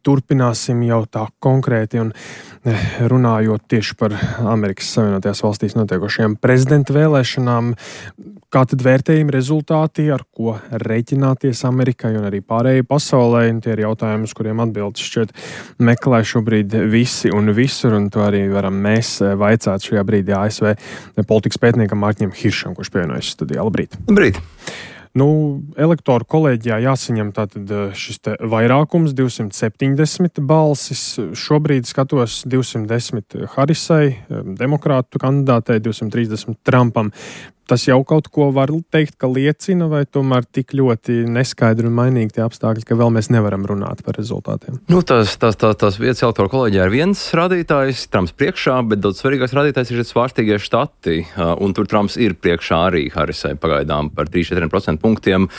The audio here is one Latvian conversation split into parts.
turpināsim jau tā konkrēti un runājot tieši par Amerikas Savienotajās valstīs notiekošajām prezidenta vēlēšanām. Kā tad vērtējumi rezultāti, ar ko reiķināties Amerikai un arī pārējai pasaulē? Tie ir jautājumi, uz kuriem atbildes šķiet meklē šobrīd visi un visur, un to arī varam mēs vaicāt šajā brīdī ASV politikas pētniekam Mārķim Hiršam, kurš pievienojas studijā. Labrīt! Labrīt! Elektoru kolēģijā jāsaņem tātad šis te vairākums, 270 balsis. Šobrīd skatos 210 Harisai, demokrātu kandidātei, 230 Trumpam. Tas jau kaut ko var teikt, ka liecina, vai tomēr tik ļoti neskaidri un mainīgi tie apstākļi, ka vēl mēs nevaram runāt par rezultātiem? Tas vietas elektoru kolēģijā ir viens rādītājs, Trumps priekšā, bet daudz svarīgāks rādītājs ir šie svārstīgie štati, un tur Trumps ir priekšā arī Harisai pagaidām par 3-4% punktiem.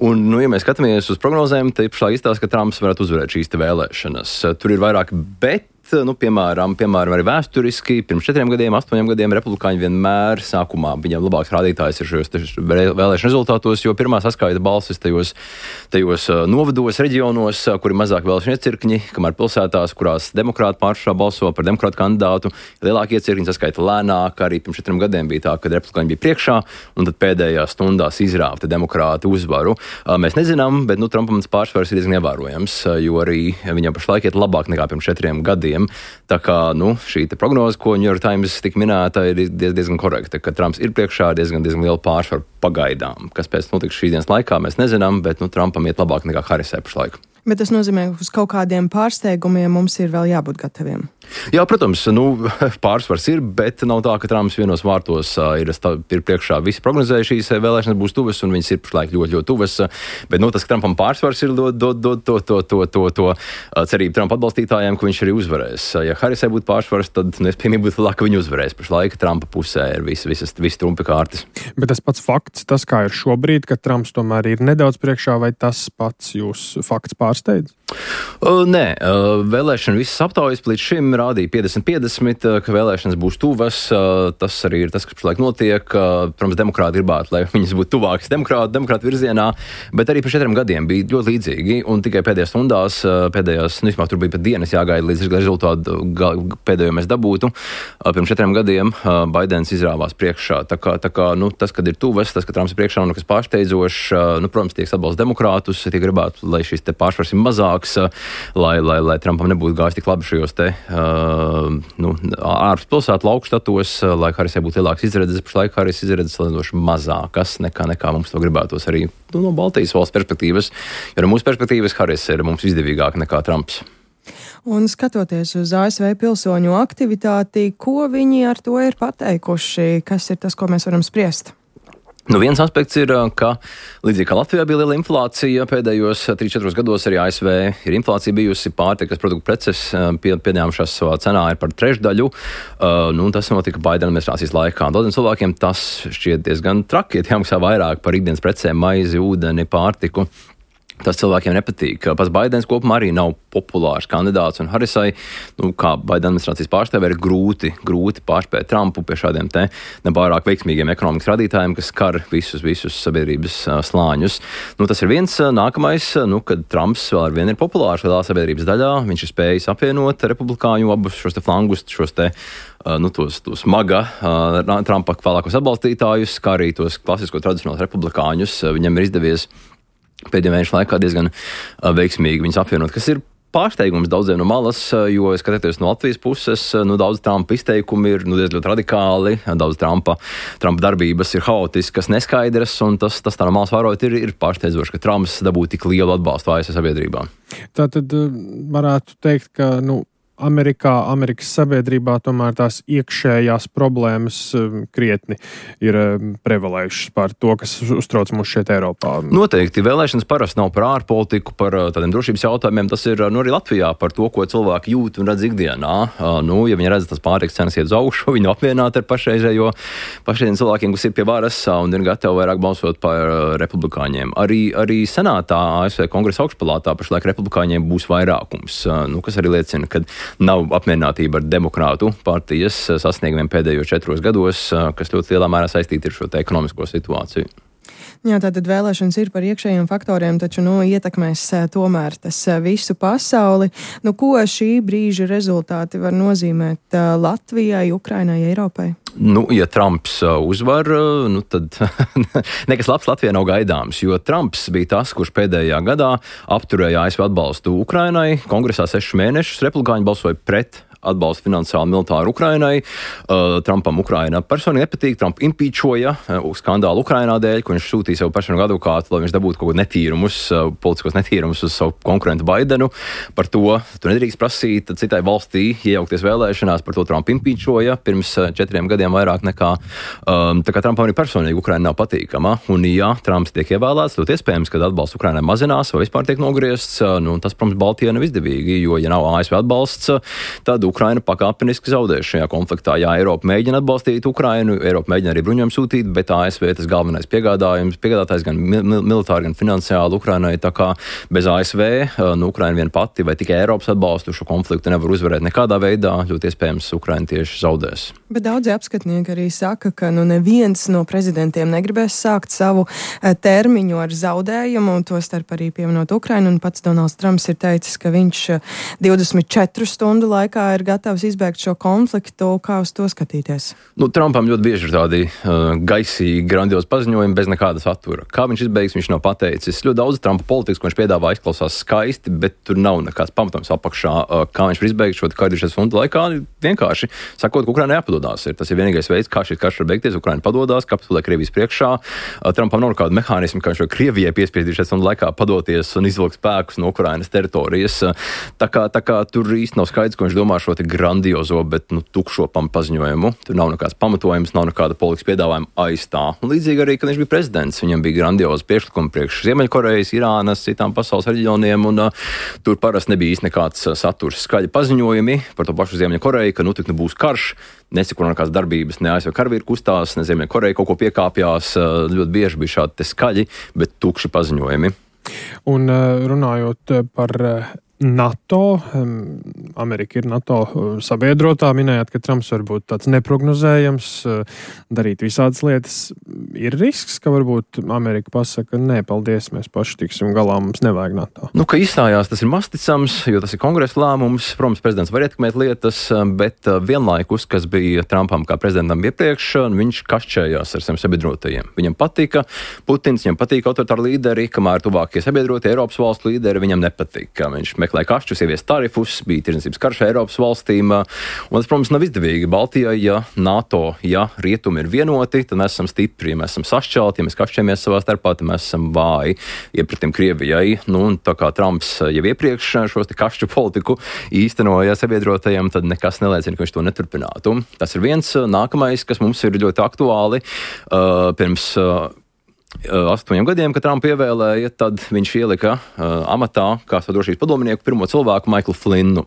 Un, ja mēs skatāmies uz prognozēm, tad pašlaik izstāsta, ka Trumps varētu uzvarēt šīs te vēlēšanas. Tur ir vairāk bet. Piemēram, arī vēsturiski, pirms 4 gadiem, 8 gadiem republikāņi vienmēr sākumā viņam labāks rādītājs ir šajos vēlēšanu rezultātos, jo pirmā saskaita balsis tajos novados, reģionos, kur ir mazāk vēlēšanu iecirkņi, kamēr pilsētās, kurās demokrāti pārsvarā balso par demokrātu kandidātu, lielākie iecirkņi saskaita lēnāk. Arī pirms 4 gadiem bija tā, kad republikāņi bija priekšā, un tad pēdējās stundās izrāva demokrāti uzvaru. Mēs nezinām, bet Trumpam tas pārsvars ir diezgan ievērojams, jo arī viņam pašlaik iet labāk nekā pirms 4 gadiem. Tā kā šī prognoze, ko New York Times tik minēta, ir diezgan korekta, ka Trumps ir priekšā diezgan liela pārsvaru pagaidām. Kas pēc notiks šīs dienas laikā, mēs nezinām, bet Trumpam iet labāk nekā Harisai pašlaik. Bet tas nozīmē, ka uz kaut kādiem pārsteigumiem mums ir vēl jābūt gataviem. Jā, protams, pārsvars ir, bet nav tā, ka Trumps vienos vārtos ir priekšā. Visi prognozēja šīs vēlēšanas būs tuvas, un viņas ir pašlaik ļoti tuvas. Bet tas, ka Trumpam pārsvars ir to cerību Trumpa atbalstītājiem, ka viņš arī uzvarēs. Ja Harisai būtu pārsvars, tad iespējamība būtu lielāka, ka viņi uzvarēs. Pašlaik Trumpa pusē ir visi trumpi kārtas. Bet tas pats fakts, tas kā ir šobrīd, ka Trumps tomēr ir nedaudz priekšā, vai tas pats jūs fakts pārsteidz? Nē, vēlēšana visas aptaujas līdz šim rādīja 50-50, ka vēlēšanas būs tuvas. Tas arī ir tas, kas pašlaik notiek. Protams, demokrāti gribētu, lai viņas būtu tuvākas demokrātu virzienā, bet arī pēc 4 gadiem bija ļoti līdzīgi, un tikai pēdējās stundās, vismaz tur bija pat dienas jāgaida līdz rezultātu pēdējo mēs dabūtu. Pirms 4 gadiem Baidens izrāvās priekšā. Tā kā tas, kad ir tuvas, tas, ka Trumps ir priekšā, kas pārsteidzošs, protams, tiek atbalsta demokrātus, tiek gribētu, lai šis te pārsvars ir mazāks, lai Trumpam nebūtu gājis tik labi šajos te ārpus pilsētu lauku štatos, lai Harisai būtu lielāks izredzes. Pašlaik Haris izredzes salīdzinoši mazākas nekā mums to gribētos arī no Baltijas valsts perspektīvas, jo no mūsu perspektīvas Haris ir mums izdevīgāk nekā Trumps. Un skatoties uz ASV pilsoņu aktivitāti, ko viņi ar to ir pateikuši? Kas ir tas, ko mēs varam spriest? Viens aspekts ir, ka līdzīgi kā Latvijā bija liela inflācija, pēdējos 3-4 gados arī ASV ir inflācija bijusi, pārtikas produktu preces pieņēmušās savā cenā ir par trešdaļu. Tas notika Baidena administrācijas laikā. Daudziem cilvēkiem tas šķiet diezgan traki, ja jāmaksā vairāk par ikdienas precēm, maizi, ūdeni, pārtiku. Tas cilvēkiem nepatīk. Pats Baidens kopumā arī nav populārs kandidāts, un Harisai, kā Baidena administrācijas pārstāvē, ir grūti pārspēt Trumpu pie šādiem te nepārāk veiksmīgiem ekonomikas radītājiem, kas skar visus sabiedrības slāņus. Tas ir viens. Nākamais, kad Trumps vēl ar vienu ir populārs lielā sabiedrības daļā, viņš ir spējis apvienot republikāņu abus šos te flangus, šos te tos maga Trumpa vēlākos atbalstītājus, kā arī tos klasisko tradicionālos republikāņus. Viņam ir izdevies pēdējo mēnešu laikā diezgan veiksmīgi viņus apvienot, kas ir pārsteigums daudziem no malas, jo, skatoties no Latvijas puses, daudz Trumpa izteikumi ir diezgan radikāli, daudz Trumpa darbības ir haotiskas, neskaidras, un tas tā no malas vērojot ir pārsteidzoši, ka Trumps dabū tik lielu atbalstu ASV sabiedrībā. Tātad varētu teikt, ka, Amerikas sabiedrībā tomēr tās iekšējās problēmas krietni ir prevalējušas par to, kas uztrauc mūs šeit Eiropā. Noteikti. Vēlēšanas parasti nav par ārpolitiku, par tādiem drošības jautājumiem. Tas ir arī Latvijā par to, ko cilvēki jūt un redz ikdienā. Ja viņi redz, tas pārtikas cenas iet uz augšu, viņi apvienāti ar pašreizējiem cilvēkiem, kas ir pie varas un ir gatavi vairāk balsot par republikāņiem. Arī senātā, ASV kongresa augšpalātā pašlaik republikāņiem būs vairākums, kas arī liecina, ka nav apmierinātība ar demokrātu partijas sasniegumiem pēdējos 4 gados, kas ļoti lielā mērā saistīti ar šo ekonomisko situāciju. Jā, tātad vēlēšanas ir par iekšējiem faktoriem, taču ietekmēs tomēr tas visu pasauli. Ko šī brīža rezultāti var nozīmēt Latvijai, Ukrainai, Eiropai? Ja Trumps uzvar, tad nekas labs Latvijai nav gaidāms, jo Trumps bija tas, kurš pēdējā gadā apturēja ASV atbalstu Ukrainai. Kongresā 6 mēnešus republikāņi balsoja pret atbalstu finansiāli militāru Ukrainai. Trumpam Ukraina personīgi nepatīk. Trump impeachoja skandālu Ukrainā dēļ, ko viņš sūtīja savu personīgu advokātu, lai viņš dabūtu kaut ko netīrumus, politiskos netīrumus uz savu konkurentu Baidenu. Par to tu nedrīkst prasīt citai valstī iejaukties vēlēšanās, par to Trump impeachoja pirms 4 gadiem vairāk nekā. Tā kā Trumpam arī personīgi Ukraina nav patīkama. Un ja Trumps tiek ievēlēts, tad iespējams, ka atbalsts Ukrainai mazinās vai vispār tiek nogriezts. Tas, protams, Baltijai nav izdevīgi, jo ja nav ASV atbalsts, tad Ukraina pakāpeniski zaudēs šajā konfliktā. Jā, Eiropa mēģina atbalstīt Ukrainu, Eiropa mēģina arī bruņojumu sūtīt, bet ASV tas galvenais piegādātājs gan militāri, gan finansiāli Ukrainai. Tā kā bez ASV, Ukraina vien pati vai tikai Eiropas atbalstu šo konfliktu nevar uzvarēt nekādā veidā, ļoti iespējams Ukraina tieši zaudēs. Bet daudzi apskatnieki arī saka, ka neviens no prezidentiem negribēs sākt savu termiņu ar zaudējumu, un tostarp arī pieminot Ukrainu, un pats Donalds Trumps ir teicis, ka viņš 24 stundu laikā ir gatavs izbēgt šo konfliktu. Kā uz to skatīties? Trumpam ļoti bieži ir tādi gaisīgi, grandiozi paziņojumi bez nekāda satura. Kā viņš izbeigs, viņš nav pateicis. Ļoti daudz Trumpa politikas, ko viņš piedāvā, izklausās skaisti, bet tur nav nekāds pamatojums apakšā. Kā viņš var izbeigt šo 40 stundu laikā, vienkārši sakot, ka Ukrainai jāpadodās. Tas ir vienīgais veids, kā šis karš var beigties. Ukraina padodās, kapitulē Krievijas priekšā. Trumpam nav nekāda mehānisma, kā viņš var Krievijai piespiest 40 stundu laikā padoties un izvilkt spēkus no Ukrainas teritorijas. Tā kā tur īsti nav skaidrs, ko viņš domā šo grandiozo, bet tukšo paziņojumu. Tur nav nekāds pamatojums, nav nekāda politikas piedāvājuma aiz tā. Un līdzīgi arī, kad viņš bija prezidents, viņam bija grandiozi priekšlikumi priekš Ziemeļkorejas, Irānas, citām pasaules reģioniem, un tur parasti nebija īsti nekāds saturs, skaļi paziņojumi par to pašu Ziemeļkoreju, ka tik būs karš, neseko nekādas darbības, ne ASV karavīri kustās, ne Ziemeļkoreja kaut ko piekāpjās, ļoti bieži bija šādi skaļi, bet tukši paziņojumi. Un runājot par NATO, Amerika ir NATO sabiedrotā, minējāt, ka Trumps var būt tāds neprognozējams, darīt visādas lietas. Ir risks, ka varbūt Amerika pasaka, nē, paldies, mēs paši tiksim galā, mums nevajag NATO. Ka izstājās, tas ir masticams, jo tas ir kongresa lēmums. Protams, prezidents var ietekmēt lietas, bet vienlaikus, kas bija Trumpam kā prezidentam iepriekš, viņš kašķējās ar saviem sabiedrotajiem. Viņam patika Putins, viņam patika autoritāri līderi, kamēr tuvākie sabiedrotie Eiropas valstu līderi viņam nepatika. Viņš meklēja kašķus, ievies tarifus, bija tirdzniecības karš Eiropas valstīm, un tas, protams, nav izdevīgi Baltijai, ja NATO, ja rietumi ir vienoti, tad mēs esam stipri, ja mēs esam sašķelti, ja mēs kašķējamies savā starpā, tad mēs esam vāji iepratim Krievijai, un tā kā Trumps jau iepriekš šos te kašķu politiku īstenoja sabiedrotajiem, tad nekas neliecina, ka viņš to neturpinātu. Tas ir viens. Nākamais, kas mums ir ļoti aktuāli, pirms 8 gadiem, kad Trumpu ievēlēja, tad viņš ielika amatā kā drošības padomnieku pirmo cilvēku Maiklu Flinnu.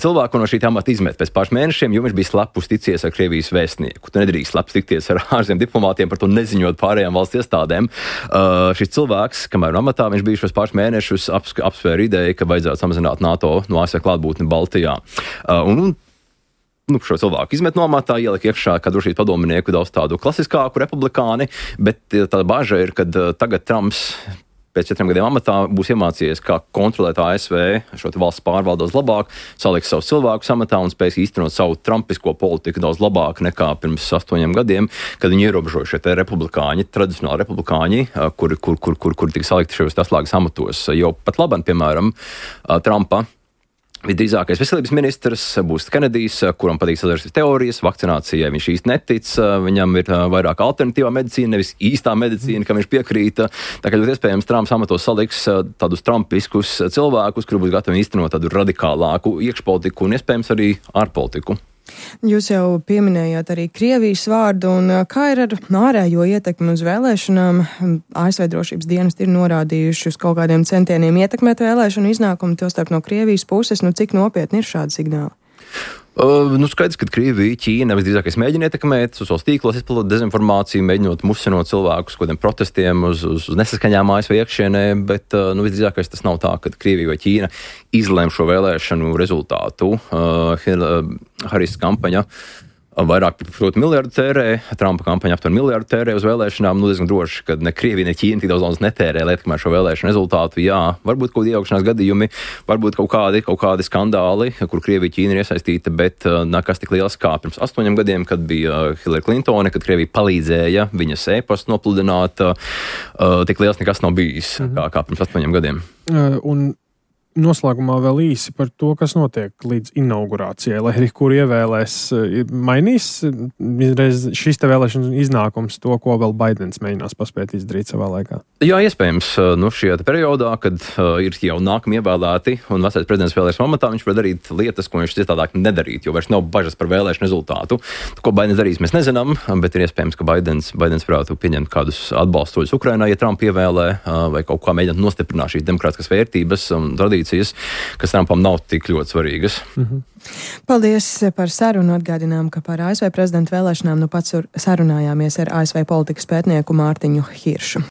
Cilvēku no šī amata izmet pēc pāris mēnešiem, jo viņš bija slepus ticies ar Krievijas vēstnieku. Tu nedrīkst slepus tikties ar ārzemju diplomātiem, par to neziņot pārējām valsts iestādēm. Šis cilvēks, kamēr amatā viņš bija šos pāris mēnešus, apsvēra ideju, ka vajadzētu samazināt NATO no ASV klātbūtni Baltijā. Šo cilvēku izmet no amatā, ielika iekšā kā drošības padomnieku daudz tādu klasiskāku republikāni, bet tā bāža ir, ka tagad Trumps pēc 4 gadiem amatā būs iemācījies, kā kontrolēt ASV šo valsts pārvaldos labāk, saliks savus cilvēkus amatā un spēs īstenot savu trumpisko politiku daudz labāk nekā pirms 8 gadiem, kad viņi ierobežoja šie republikāņi, tradicionāli republikāņi, kuri tika salikti šajos atslēgas amatos. Jau pat labāk, piemēram, Trumpa visdrīzākais veselības ministrs būs Kenedijs, kuram patīk sazarsības teorijas, vakcinācijai viņš īsti netic, viņam ir vairāk alternatīvā medicīna, nevis īstā medicīna, kam viņš piekrīta. Tā kā ļoti iespējams Trumps amatos saliks tādus trumpiskus cilvēkus, kuri būs gatavi īstenot tādu radikālāku iekšpolitiku un iespējams arī ārpolitiku. Jūs jau pieminējāt arī Krievijas vārdu, un kā ir ar ārējo ietekmi uz vēlēšanām? ASV drošības dienesti ir norādījuši uz kaut kādiem centieniem ietekmēt vēlēšanu iznākumu, tostarp no Krievijas puses. Cik nopietni ir šādi signāli? Skaidrs, ka Krievija, Ķīna visdrīzākais mēģina ietekmēt, sociālos tīklos izplatot dezinformāciju, mēģinot musinot cilvēkus kādiem protestiem uz nesaskaņām ASV iekšienē, bet visdrīzākais tas nav tā, ka Krievija vai Ķīna izlēma šo vēlēšanu rezultātu. Haris kampaņa Vairāk par miljardu tērē, Trumpa kampaņa aptuveni miljardu tērē uz vēlēšanām. Diezgan droši, ka ne Krievija, ne Ķīna tik daudz naudas netērē, lai ietekmētu šo vēlēšanu rezultātu. Jā, varbūt kaut kādi iejaukšanās gadījumi, varbūt kaut kādi skandāli, kur Krievija, Ķīna ir iesaistīta, bet nekas tik liels kā pirms 8 gadiem, kad bija Hillary Clintone, kad Krievija palīdzēja viņas e-pastu nopludināt. Tik liels nekas nav bijis kā pirms 8 gadiem. Un noslēgumā vēl īsi par to, kas notiek līdz inaugurācijai, lai arī kur ievēlēs, mainīs šis te vēlēšana iznākums to, ko vēl Baidens mēģinās paspēt izdarīt savā laikā? Jā, iespējams, šajā periodā, kad ir jau nākami ievēlēti un vecais prezidents vēl ir amatā, viņš var darīt lietas, ko viņš citādāk nedarīt, jo vairs nav bažas par vēlēšanu rezultātu. Ko Baidens darīs, mēs nezinām, bet ir iespējams, ka Baidens varētu pieņemt kādus atbalstoļus Ukrainā, ja Trump ievēlē, vai kaut kā mēģināt nostiprināt šīs demokrātiskas vērtības un tradīcijas, kas Trumpam nav tik ļoti svarīgas. Paldies par sarunu. Atgādinām, ka par ASV prezidenta vēlēšanām pats sarunājāmies ar ASV politikas pētnieku Mārtiņu Hiršu.